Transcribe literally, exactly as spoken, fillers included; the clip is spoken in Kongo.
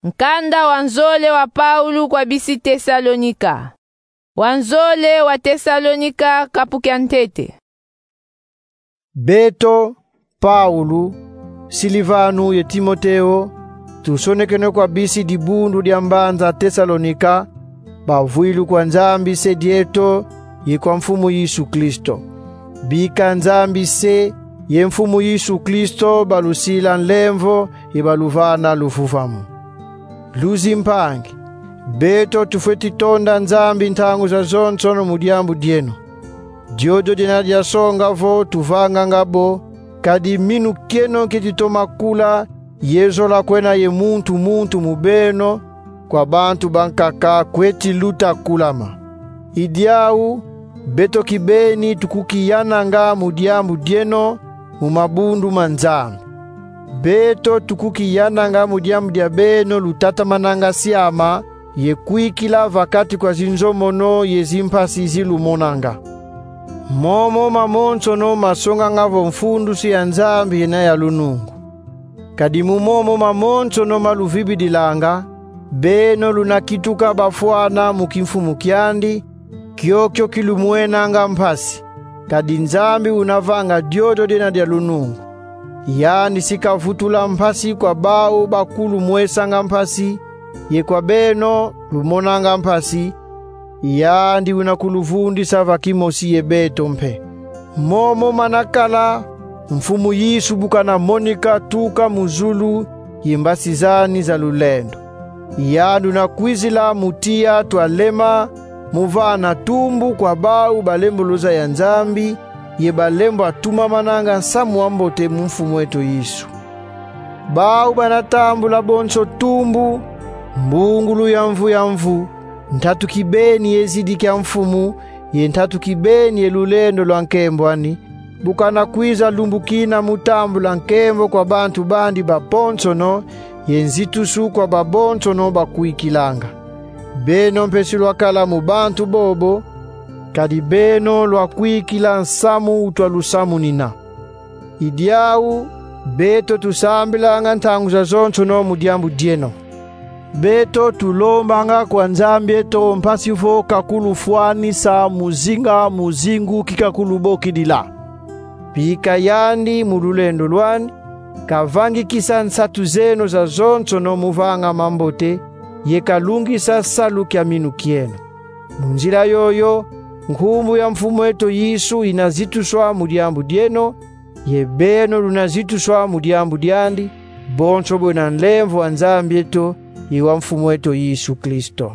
Nkanda wa nzole wa Paulo kwa bisi Tesalonika. Wa nzole wa Tesalonika, kapu kia ntete. Beto, Paulo, Silivano ye Timoteo, tusonekene kwa bisi dibundu dia mbanza Tesalonika, bavwilu kwa Nzambi Se dieto ye kwa Mfumu Yesu Kristo. Bika Nzambi Se ye Mfumu Yesu Kristo balusila nlemvo ye baluvana luvuvamu. Luzimpangi, beto tufweti tonda Nzambi ntangu zazonsono mu diambu dieno. Diodio diena diasonga vo tuvanganga bo, kadi minu kieno nki ditoma kula ye zola kwena ye muntu muntu mu beno, kwa bantu bankaka kweti luta kulama. I diau, beto kibeni tukukiyananga mu diambu dieno mu mabundu ma Nzambi. Beto tukukiyananga mu diambu dia beno lutatamananga siama ye kwikila va kati kwa zinzomono ye zimpasi zi lumonanga. Momo mamonsono masonganga vo mfundusi ya Nzambi yena ya lunungu. Kadi mu momo mamonsono ma luvibidilanga, beno luna kituka bafwana mu kimfumu kiandi, kiokio ki lumwenanga mpasi, kadi Nzambi una vanga diodio diena dia lunungu. Yandi si kavutula mpasi kwa bau bakulumwesanga mpasi, ye kwa beno lumonanga mpasi, yandi una kuluvundisa va kimosi ye beto mpe. Momo mana kala, Mfumu Yesu bu kana monika tuka mu zulu ye mbasi zani za lulendo. Yandi una kwizila mu tiya twalema, mu vana tumbu kwa bau balemboloza ya Nzambi, ye balembo atumamananga nsamu wa mbote mu Mfumu eto Yesu. Bau bana tambula bonso tumbu, mbungulu ya mvu ya mvu, ntatu kibeni ye zidi kia Mfumu, ye ntatu kibeni ye lulendo lwa nkembo ani, bu kana kwiza lumbu kina mu tambula nkembo kwa bantu bandi baponsono, ye nzitusu kwa babonsono bakwikilanga. Beno mpe si lwakala mu bantu bobo, kadi beno lwakwikila nsamu utwa lusamunina. I diau, beto tusambilanga ntangu zazonsono mu diambu dieno. Beto tulombanga kwa Nzambi eto mpasi vo kakulufwanisa mu zinga mu zingu ki kakulubokidila. Bika yandi mu lulendo lwani, kavangikisa nsatu zeno zazonsono mu vanga mambote, ye kalungisa salu kia minu kieno. Mu nzila yoyo, nkumbu ya Mfumu eto Yesu ina zituswa mu diambu dieno, ye beno luna zituswa mu diambu diandi, bonso bwena nlemvo wa Nzambi eto, ye wa Mfumu eto Yesu Kristo.